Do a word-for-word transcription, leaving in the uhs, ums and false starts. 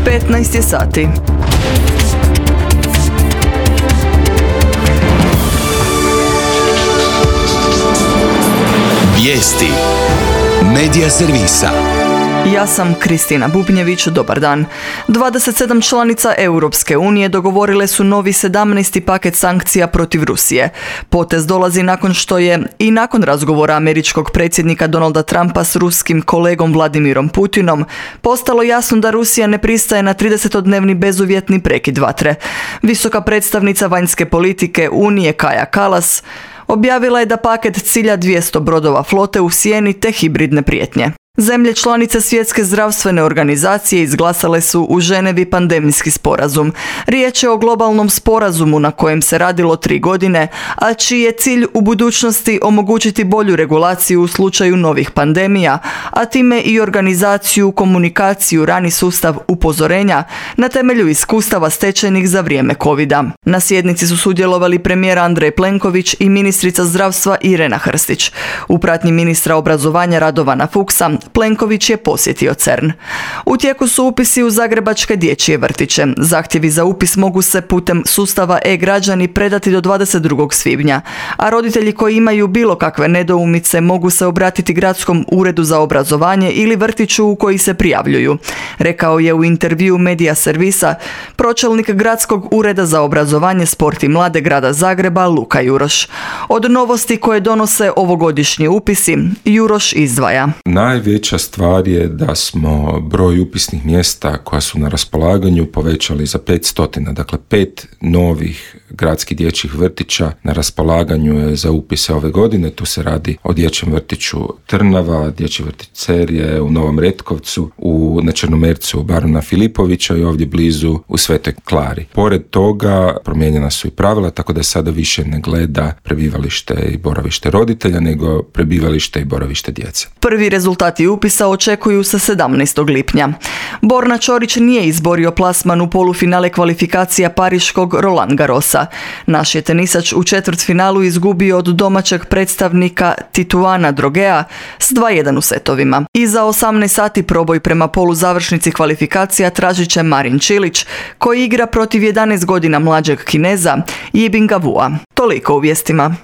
petnaest je sati. Vijesti Medija servisa. Ja sam Kristina Bubnjević, dobar dan. dvadeset sedam članica Europske unije dogovorile su novi sedamnaesti paket sankcija protiv Rusije. Potez dolazi nakon što je i nakon razgovora američkog predsjednika Donalda Trumpa s ruskim kolegom Vladimirom Putinom postalo jasno da Rusija ne pristaje na tridesetodnevni bezuvjetni prekid vatre. Visoka predstavnica vanjske politike Unije Kaja Kallas objavila je da paket cilja dvjesto brodova flote u sjeni te hibridne prijetnje. Zemlje članice Svjetske zdravstvene organizacije izglasale su u Ženevi pandemijski sporazum. Riječ je o globalnom sporazumu na kojem se radilo tri godine, a čiji je cilj u budućnosti omogućiti bolju regulaciju u slučaju novih pandemija, a time i organizaciju, komunikaciju, rani sustav upozorenja na temelju iskustava stečenih za vrijeme covida. Na sjednici su sudjelovali premijer Andrej Plenković i ministrica zdravstva Irena Hrstić. U pratnji ministra obrazovanja Radovana Fuchsa Plenković je posjetio CERN. U tijeku su upisi u zagrebačke dječje vrtiće. Zahtjevi za upis mogu se putem sustava e-građani predati do dvadeset drugog svibnja, a roditelji koji imaju bilo kakve nedoumice mogu se obratiti Gradskom uredu za obrazovanje ili vrtiću u koji se prijavljuju, rekao je u intervjuu Medija servisa pročelnik Gradskog ureda za obrazovanje, sport i mlade grada Zagreba Luka Juroš. Od novosti koje donose ovogodišnji upisi, Juroš izdvaja. Najveća stvar je da smo broj upisnih mjesta koja su na raspolaganju povećali za petsto, dakle pet novih gradskih dječjih vrtića na raspolaganju je za upise ove godine. Tu se radi o dječjem vrtiću Trnava, dječji vrtić Cerje u Novom Retkovcu, u, na Črnomercu u Baruna Filipovića i ovdje blizu u Svetoj Klari. Pored toga promijenjena su i pravila, tako da sada više ne gleda prebivalište i boravište roditelja, nego prebivalište i boravište djece. Prvi rezultati upisa očekuju se sedamnaestog lipnja. Borna Ćorić nije izborio plasman u polufinale kvalifikacija pariškog Roland Garrosa. Naš je tenisač u četvrtfinalu izgubio od domaćeg predstavnika Tituana Drogea s dva jedan u setovima. I za osamnaest sati proboj prema poluzavršnici kvalifikacija tražit će Marin Čilić, koji igra protiv jedanaest godina mlađeg Kineza Yibinga Wua. Toliko u vijestima.